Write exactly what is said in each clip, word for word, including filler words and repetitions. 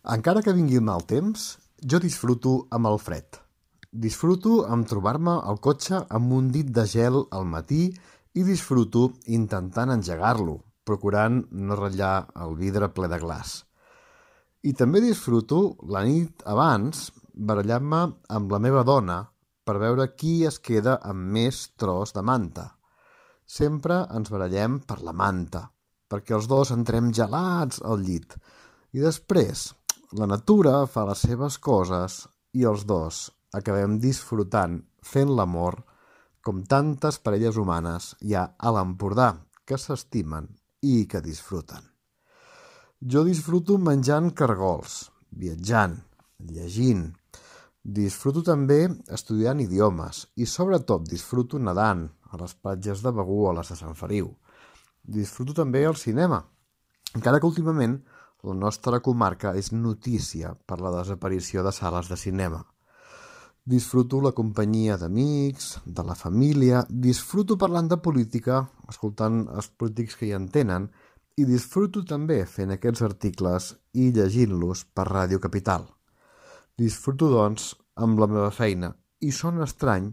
Encara que vingui mal temps, jo disfruto amb el fred. Disfruto amb trobar-me al cotxe amb un dit de gel al matí i disfruto intentant engegar-lo, procurant no ratllar el vidre ple de glaç. I també disfruto la nit abans barallant-me amb la meva dona per veure qui es queda amb més tros de manta. Sempre ens barallem per la manta, perquè els dos entrem gelats al llit. I després, la natura fa les seves coses i els dos acabem disfrutant fent l'amor com tantes parelles humanes hi ha a l'Empordà que s'estimen i que disfruten. Jo disfruto menjant cargols, viatjant, llegint. Disfruto també estudiant idiomes i sobretot disfruto nedant a les platges de Begur o a les de Sant Feliu. Disfruto també el cinema, encara que últimament la nostra comarca és notícia per la desaparició de sales de cinema. Disfruto la companyia d'amics, de la família, disfruto parlant de política, escoltant els polítics que hi entenen, i disfruto també fent aquests articles i llegint-los per Ràdio Capital. Disfruto, doncs, amb la meva feina, i sona estrany,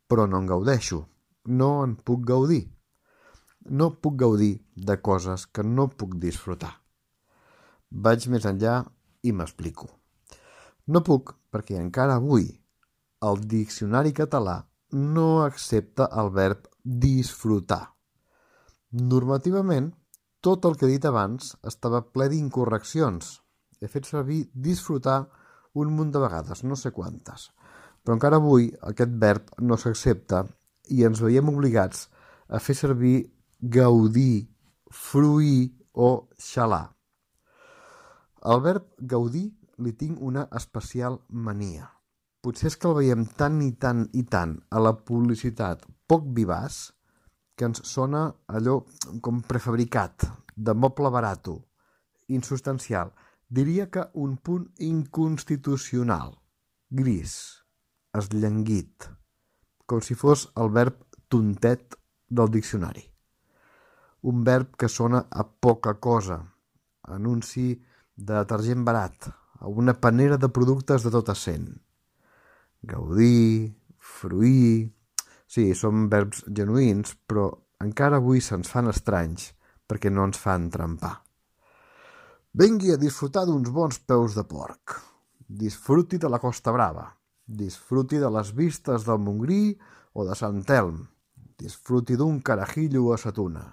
però no en gaudeixo, no en puc gaudir. No puc gaudir de coses que no puc disfrutar. Vaig més enllà i m'explico. No puc perquè encara avui el diccionari català no accepta el verb disfrutar. Normativament, tot el que he dit abans estava ple d'incorreccions. He fet servir disfrutar un munt de vegades, no sé quantes. Però encara avui aquest verb no s'accepta i ens veiem obligats a fer servir gaudir, fruir o xalar. Al verb gaudir li tinc una especial mania. Potser és que el veiem tant i tant i tant a la publicitat poc vivaç que ens sona allò com prefabricat, de moble barato, insubstancial. Diria que un punt inconstitucional, gris, esllanguit, com si fos el verb tontet del diccionari. Un verb que sona a poca cosa, anunci de detergent barat, a una panera de productes de tot essent. Gaudir, fruir... Sí, són verbs genuïns, però encara avui se'ns fan estranys perquè no ens fan trempar. Vengui a disfrutar d'uns bons peus de porc. Disfruti de la Costa Brava. Disfruti de les vistes del Montgrí o de Sant Elm. Disfruti d'un carajillo a sa tuna.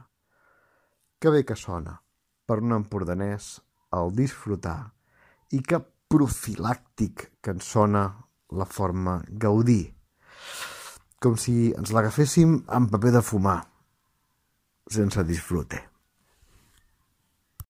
Que bé que sona per un empordanès el disfrutar i que profilàctic que ens sona la forma gaudir. Com si ens l'agaféssim amb paper de fumar, sense disfrute.